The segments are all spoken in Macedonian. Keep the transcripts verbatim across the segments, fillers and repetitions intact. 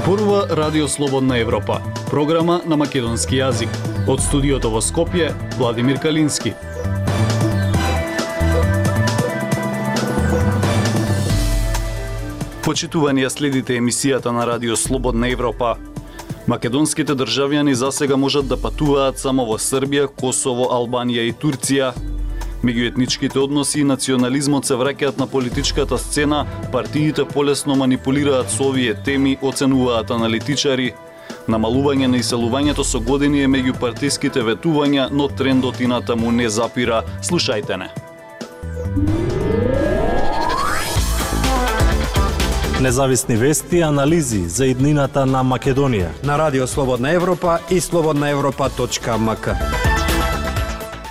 Зборува Радио Слободна Европа, програма на македонски јазик. Од студиото во Скопје, Владимир Калински. Почитувани ја следите емисијата на Радио Слободна Европа. Македонските државјани засега можат да патуваат само во Србија, Косово, Албанија и Турција. Меѓуетничките односи и национализмот се враќаат на политичката сцена, партиите полесно манипулираат со овие теми, оценуваат аналитичари. Намалување на иселувањето со години е меѓу партиските ветувања, но трендот инатаму не запира. Слушајте не. Независни вести и анализи за иднината на Македонија на Радио Слободна Европа и слободна европа точка ем ка.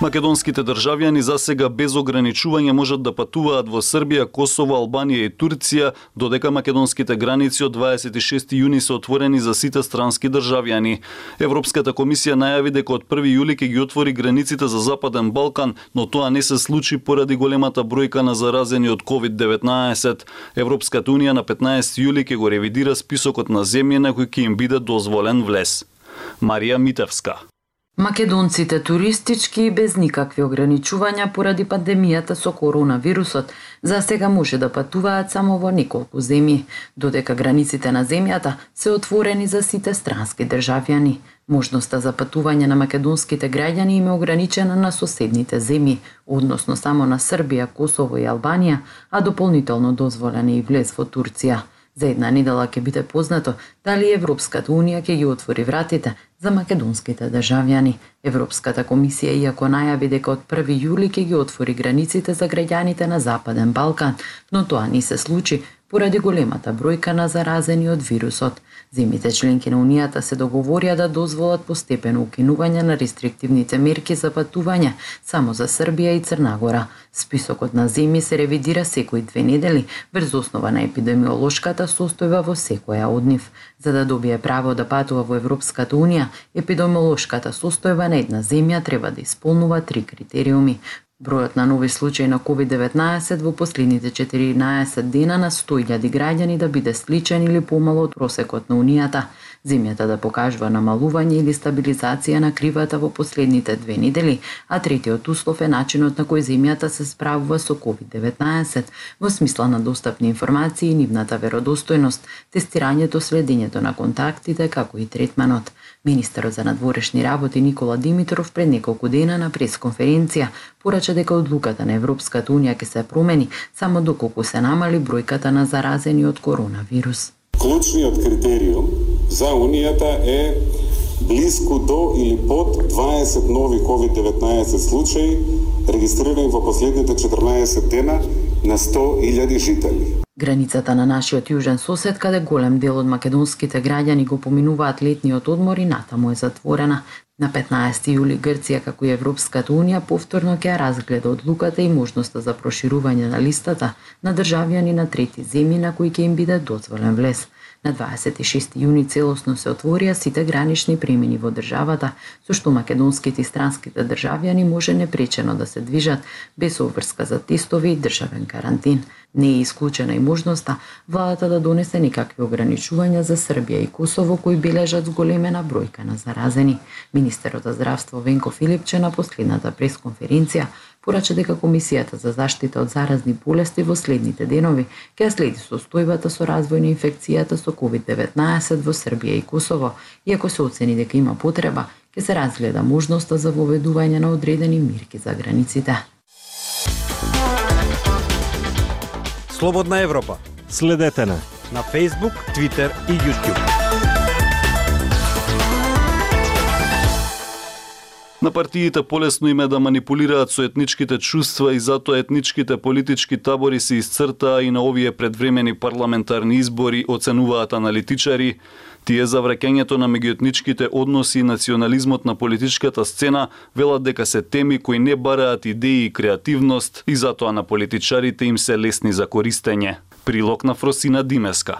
Македонските државјани засега без ограничување можат да патуваат во Србија, Косово, Албанија и Турција, додека македонските граници од дваесет и шести јуни се отворени за сите странски државјани. Европската комисија најави дека од први јули ќе ги отвори границите за Западен Балкан, но тоа не се случи поради големата бројка на заразени од ковид деветнаесет. Европската унија на петнаесети јули ќе го ревидира списокот на земји на кои ќе им биде дозволен влез. Марија Митевска. Македонците туристички и без никакви ограничувања поради пандемијата со коронавирусот за сега може да патуваат само во неколку земји, додека границите на земјата се отворени за сите странски државјани. Можноста за патување на македонските граѓани им е ограничена на соседните земји, односно само на Србија, Косово и Албанија, а дополнително дозволен е и влез во Турција. За една недела ќе биде познато дали Европската унија ќе ги отвори вратите за македонските државјани. Европската комисија иако најави дека од први јули ќе ги отвори границите за граѓаните на Западен Балкан, но тоа не се случи поради големата бројка на заразени од вирусот. Земјите членки на Унијата се договорија да дозволат постепено укинување на рестриктивните мерки за патување само за Србија и Црна Гора. Списокот на земји се ревидира секои две недели врз основа на епидемиолошката состојба во секоја од нив. За да добие право да патува во Европската унија, епидемиолошката состојба на една земја треба да исполнува три критериуми. Бројот на нови случаи на ковид деветнаесет во последните четиринаесет дена на сто илјади граѓани да биде сличен или помало од просекот на Унијата, земјата да покажува намалување или стабилизација на кривата во последните две недели, а третиот услов е начинот на кој земјата се справува со ковид деветнаесет, во смисла на достапни информации и нивната веродостојност, тестирањето, следењето на контактите, како и третманот. Министерот за надворешни работи Никола Димитров пред неколку дена на пресконференција порача дека одлуката на Европската унија ќе се промени само доколку се намали бројката на заразени од коронавирус. Клучниот критериум за Унијата е блиску до или под дваесет нови ковид деветнаесет случаи регистрирани во последните четрнаесет дена на сто илјади жители. Границата на нашиот јужен сосед, каде голем дел од македонските граѓани го поминуваат летниот одмор и натаму е затворена. На петнаесети јули Грција, како и Европската унија, повторно ќе разгледа одлуката и можноста за проширување на листата на државјани на трети земји на кои ќе им биде дозволен влез. На дваесет и шести јуни целосно се отворија сите гранични премини во државата, со што македонските и странските државјани може непречено да се движат без обврска за тестови и државен карантин. Не е исклучена и можноста владата да донесе некакви ограничувања за Србија и Косово кои бележат зголемена бројка на заразени. Министерот за здравство Венко Филипче на последната пресконференција порача дека Комисијата за заштита од заразни болести во следните денови ќе следи состојбата со развој на инфекцијата со ковид деветнаесет во Србија и Косово, и ако се оцени дека има потреба, ќе се разгледа можноста за воведување на одредени мерки за границите. Слободна Европа. Следете на на Facebook, Twitter и YouTube. На партиите полесно им е да манипулираат со етничките чувства и затоа етничките политички табори се исцртаа и на овие предвремени парламентарни избори, оценуваат аналитичари. Тие за враќањето на меѓуетничките односи и национализмот на политичката сцена велат дека се теми кои не бараат идеи и креативност и затоа на политичарите им се лесни за користење. Прилог на Фросина Димеска.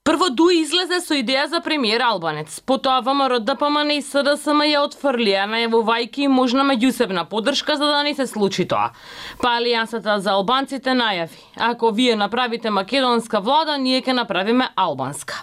Прво Дуи излезе со идеја за премиер албанец. Потоа ВМРО Д П М Н и С Д С М ја отфрлија, најавувајќи можна меѓусебна поддршка за да не се случи тоа. Па Алијансата за албанците најави: ако вие направите македонска влада, ние ќе направиме албанска.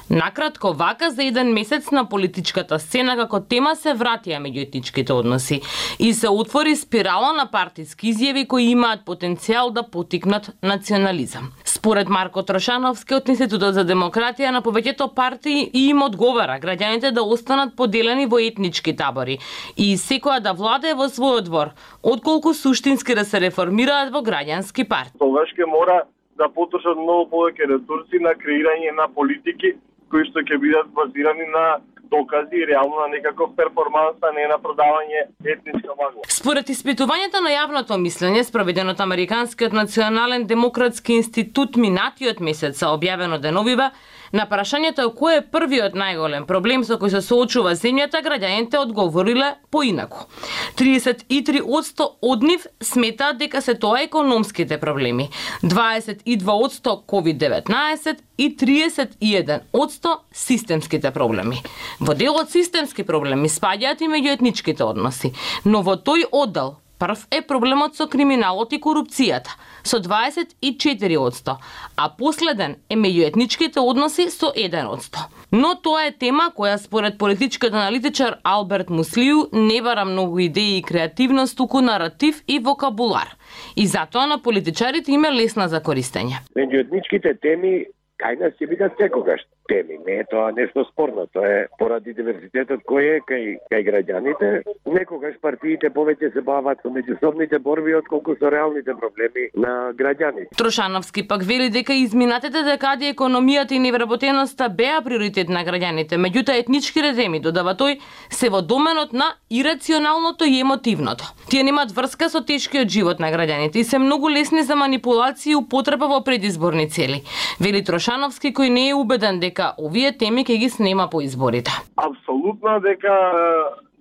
Накратко, вака за еден месец на политичката сцена како тема се вратија меѓуетничките односи и се отвори спирала на партиски изјави кои имаат потенцијал да потикнат национализам. Според Марко Трошановски од Институтот за демократија, на повеќето партии и им одговара граѓаните да останат поделени во етнички табори и секоја да владее во својот двор, отколку суштински да се реформираат во граѓански партии. Тогаш ќе мора да потрошат многу повеќе ресурси на креирање на политики кои што ќе бидат базирани на докази и реално на некаков перформанс, а не на продавање етничка магла. Според испитувањето на јавното мислење, спроведено од Американскиот национален демократски институт минатиот месец, објавено деновива, на прашањето кој е првиот најголем проблем со кој се соочува земјата, граѓаните одговориле поинаку. триесет и три одсто од нив сметаат дека се тоа економските проблеми, дваесет и два одсто ковид деветнаесет и триесет и еден одсто системските проблеми. Во делот системски проблеми спаѓаат и меѓуетничките односи, но во тој оддел прв е проблемот со криминалот и корупцијата, со дваесет и четири одсто, а последен е меѓуетничките односи со еден одсто. Но тоа е тема која според политичкиот аналитичар Алберт Муслију не бара многу идеи и креативност, туку наратив и вокабулар. И затоа на политичарите им е лесна за користење. Меѓуетничките теми кај нас ќе бидат секогаш теми, не е тоа нешто спорно, тоа е поради диверзитетот кој е кај, кај граѓаните. Некогаш партиите повеќе се бават со меѓусобните борби отколку со реалните проблеми на граѓаните. Трошановски пак вели дека изминатите декади економијата и невработеноста беа приоритет на граѓаните, меѓутоа етничките теми, додава тој, се во доменот на ирационалното и емотивното. Тие немаат врска со тешкиот живот на граѓаните и се многу лесни за манипулации и употреба во предизборни цели. Вели Трошановски, кој не е убеден дека овие теми ќе ги снема по изборите. Апсолутно дека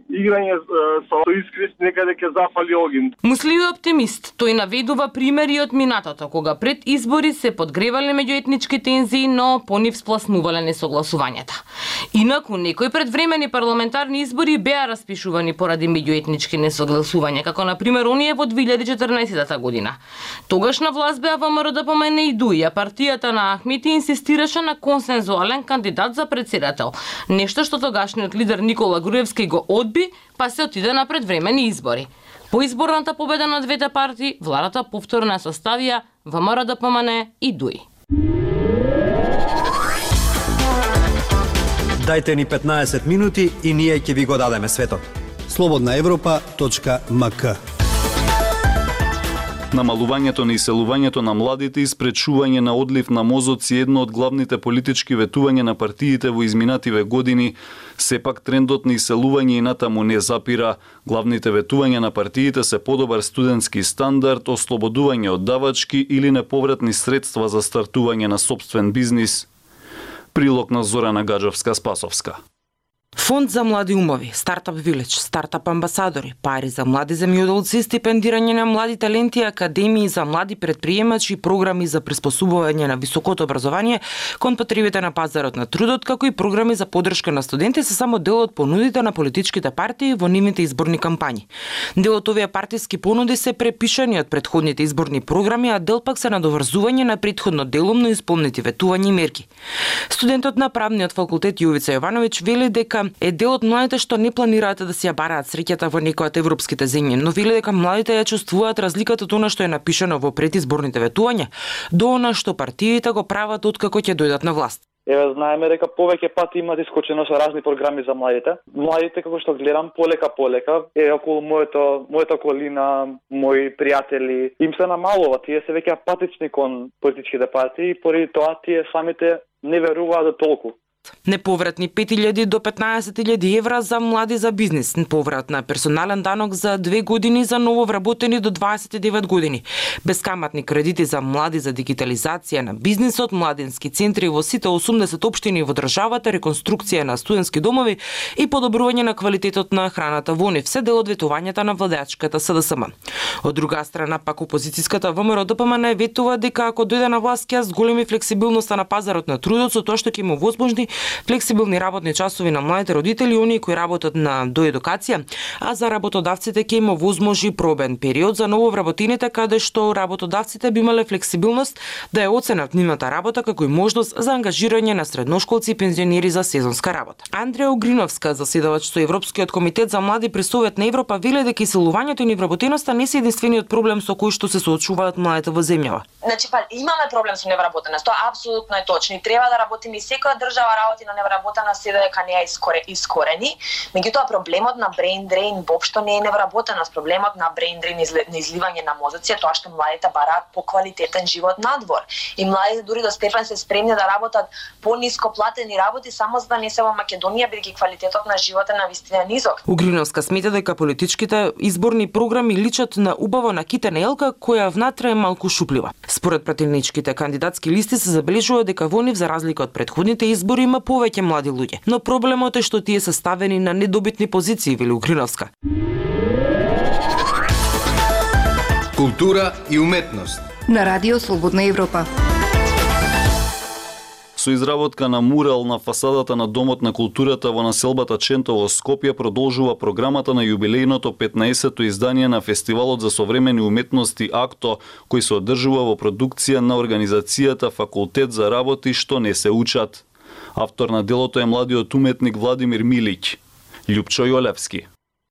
играње со искрис некаде ќе зафали огин. Муслију е оптимист. Тој наведува примери од минатото, кога пред избори се подгревале меѓуетнички тензии, но по нив спласнувале несогласувањата. Инаку, некои предвремени парламентарни избори беа распишувани поради меѓуетнички несогласувања, како на пример оние во две илјади и четрнаесетта година. Тогаш на власт беа ВМРО д П М Н и Д У И, а партијата на Ахмети инсистираше на консензуален кандидат за председател, нешто што тогашниот лидер Никола Груевски го одби, па се отиде на предвремени избори. По изборната победа на двете партии, владата повторно ја составија ВМРО д П М Н и Д У И. Дајте ни петнаесет минути и ние ќе ви го дадеме светот. слободна европа точка м к. Намалувањето на иселувањето на младите и спречување на одлив на мозоци е едно од главните политички ветувања на партиите во изминативе години. Сепак трендот на иселување и натаму не запира. Главните ветувања на партиите се подобар студентски стандард, ослободување од давачки или неповратни средства за стартување на сопствен бизнис. Прилог на Зорана Гаджовска-Спасовска. Фонд за млади умови, Стартап Виледж, Стартап амбасадори, пари за млади земјоделци, стипендирање на млади таленти, академии за млади предприемачи и програми за приспособување на високото образование кон потребите на пазарот на трудот, како и програми за поддршка на студенти се само дел од понудите на политичките партии во нивните изборни кампањи. Дел од овие партиски понуди се препишани од претходните изборни програми, а дел пак се надоврзување на претходно делумно исполнети ветувања и мерки. Студентот на правниот факултет Јовица Јовановиќ вели дека е дел од младите што не планираат да си ја бараат среќата во некоја од европските земји, но вели дека младите ја чувствуваат разликата од она што е напишано во предизборните ветувања до она што партиите го прават откако ќе дојдат на власт. Еве знаеме дека повеќе пати имаат искочено со разни програми за младите. Младите, како што гледам, полека полека е околу моето мојата околина, мои пријатели, им се намалува, тие се веќе апатични кон политичките партии и поради тоа тие самите не веруваат до толку. Неповратни пет илјади до петнаесет илјади евра за млади за бизнис, поврат на персонален данок за две години за нововработени до дваесет и девет години, бескаматни кредити за млади за дигитализација на бизнисот, младински центри во сите осумдесет општини во државата, реконструкција на студентски домови и подобрување на квалитетот на храната во нив, се дел од ветувањата на владеачката С Д С М. Од друга страна, пак опозицијската ВМРО Д П М Н ветува дека ако дојде на власт ќе зголеми флексибилноста на пазарот на трудот со тоа што ќе му возможни флексибилни работни часови на младите родители и оние кои работат на доедукација, а за работодавците ќе им овозможи пробен период за ново вработените, каде што работодавците би имале флексибилност да ја оценат нивната работа како и можност за ангажирање на средношколци и пензионери за сезонска работа. Андреја Угриновска, заседавач со Европскиот комитет за млади при Совет на Европа, веле дека иселувањето и невработеноста не се единствениот проблем со кој што се соочуваат младите во земјава. Значи, па имаме проблем со невработеност, тоа апсолутно е точно и треба да работиме, и секоја држава работи на невработеност се дека не ја искоре, искорени. Меѓутоа проблемот на brain drain воопшто не е невработеност, проблемот на brain drain на изливање на мозоци е тоа што младите бараат поквалитетен живот надвор. И младите дури до степен се спремни да работат пониско платени работи само за да не се во Македонија, бидејќи квалитетот на живот е навистина низок. Угриновска смета дека политичките изборни програми личат на убаво накитена елка која внатре е малку шуплива. Според пратеницките кандидатски листи се забележува дека во нив за разлика од претходните избори има повеќе млади луѓе, но проблемот е што тие се ставени на недобитни позиции, вели Угриновска. Култура и уметност на Радио Слободна Европа. Со изработка на мурал на фасадата на Домот на културата во населбата Ченто во Скопје продолжува програмата на јубилејното петнаесетто издание на Фестивалот за современи уметности АКТО, кој се одржува во продукција на организацијата Факултет за работи што не се учат. Автор на делото е младиот уметник Владимир Милиќ. Љупчо Јолевски.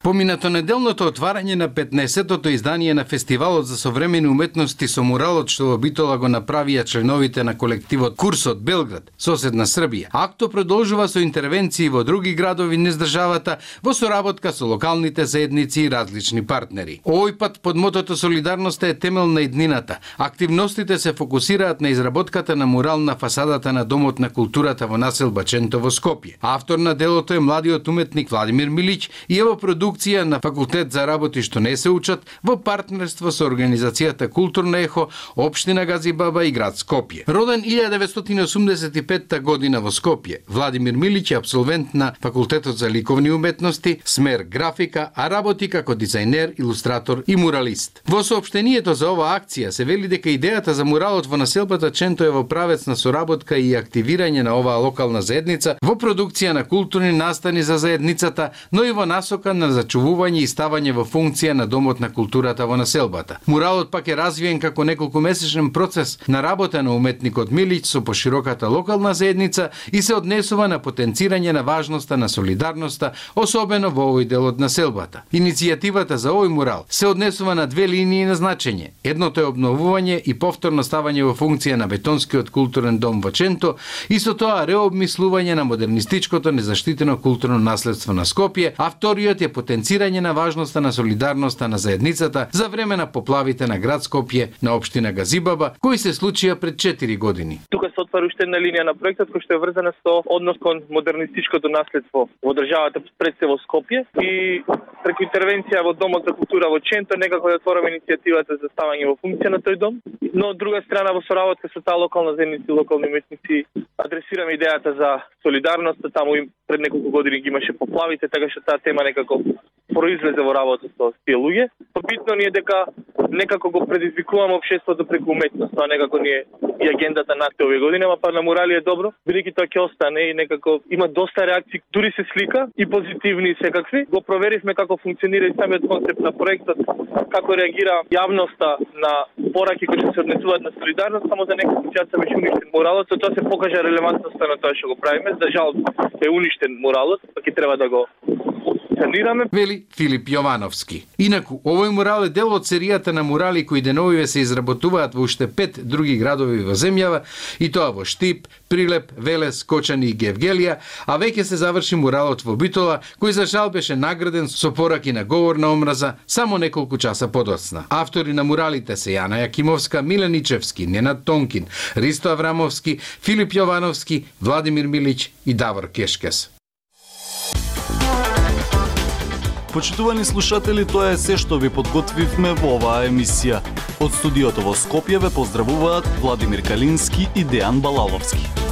Поминато неделното отварање на петнаесеттото издание на Фестивалот за современи уметности со муралот што во Битола го направија членовите на колективот Курсот Белград, соседна Србија. АКТО продолжува со интервенции во други градови низ државата во соработка со локалните заедници и различни партнери. Овој пат под мотото солидарноста е темел на иднината. Активностите се фокусираат на изработката на мурал на фасадата на Домот на културата во населба Ченто во Скопје. Автор на делото е младиот уметник Владимир Милиќ и ево продукција на Факултет за работи што не се учат во партнерство со организацијата Културно ехо, општина Газибаба и град Скопје. Роден илјада деветстотини осумдесет и петта година во Скопје, Владимир Милиќ е апсолвент на Факултетот за ликовни уметности, смер графика, а работи како дизајнер, илустратор и муралист. Во соопштението за оваа акција се вели дека идејата за муралот во населбата Ченто е во правец на соработка и активирање на оваа локална заедница во продукција на културни настани за заедницата, но и во насока на зачувување и ставање во функција на Домот на културата во населбата. Муралот пак е развиен како неколкумесечен процес на работа на уметникот Милиќ со пошироката локална заедница и се однесува на потенцирање на важноста на солидарноста, особено во овој дел од населбата. Иницијативата за овој мурал се однесува на две линии на значење. Едното е обновување и повторно ставање во функција на бетонскиот културен дом во Ченто и со тоа реобмислување на модернистичкото незаштитено културно наследство на Скопје, а вториот е потенцирање на важноста на солидарноста на заедницата за време на поплавите на град Скопје на општина Газибаба, кои се случија пред четири години. Тука се отвара уште една линија на проектот кој што е врзана со однос кон модернистичкото наследство во државата пред се во Скопје и преку интервенција во Домот за култура во Ченто некако да отвориме иницијативата за ставање во функција на тој дом, но од друга страна во соработка со таа локална заедница и локални уметници адресираме идејата за солидарност, таму им пред неколку години ги имаше поплавите, така што таа тема некако произлезе во работа со тие луѓе. Битно ни е дека некако го предизвикуваме општеството преку уметност, тоа некако ни е и агендата на овие години, ама па на мурали е добро, бидејќи тоа ќе остане и некако има доста реакции, дури се слика и позитивни и секакви. Го проверивме како функционира и самиот концепт на проектот, како реагира јавноста на пораки кои се однесуваат на солидарност, само за неколку часа беше уништен муралот, со тоа се покажа релевантноста на тоа што го правиме. За жал е уништен муралот, па ќе треба да го санираме. Вели Филип Јовановски. Инаку, овој мурал е дел од серијата на мурали кои деновиве се изработуваат во уште пет други градови во земјава, и тоа во Штип, Прилеп, Велес, Кочани и Гевгелија, а веќе се заврши муралот во Битола, кој за жал беше награден со пораки на говор на омраза само неколку часа подоцна. Автори на муралите се Јана Јакимовска, Милен Ичевски, Ненад Тонкин, Ристо Аврамовски, Филип Јовановски, Владимир Милиќ и Давор Кешкес. Почитувани слушатели, тоа е се што ви подготвивме во оваа емисија. Од студиото во Скопје ве поздравуваат Владимир Калински и Дејан Балаловски.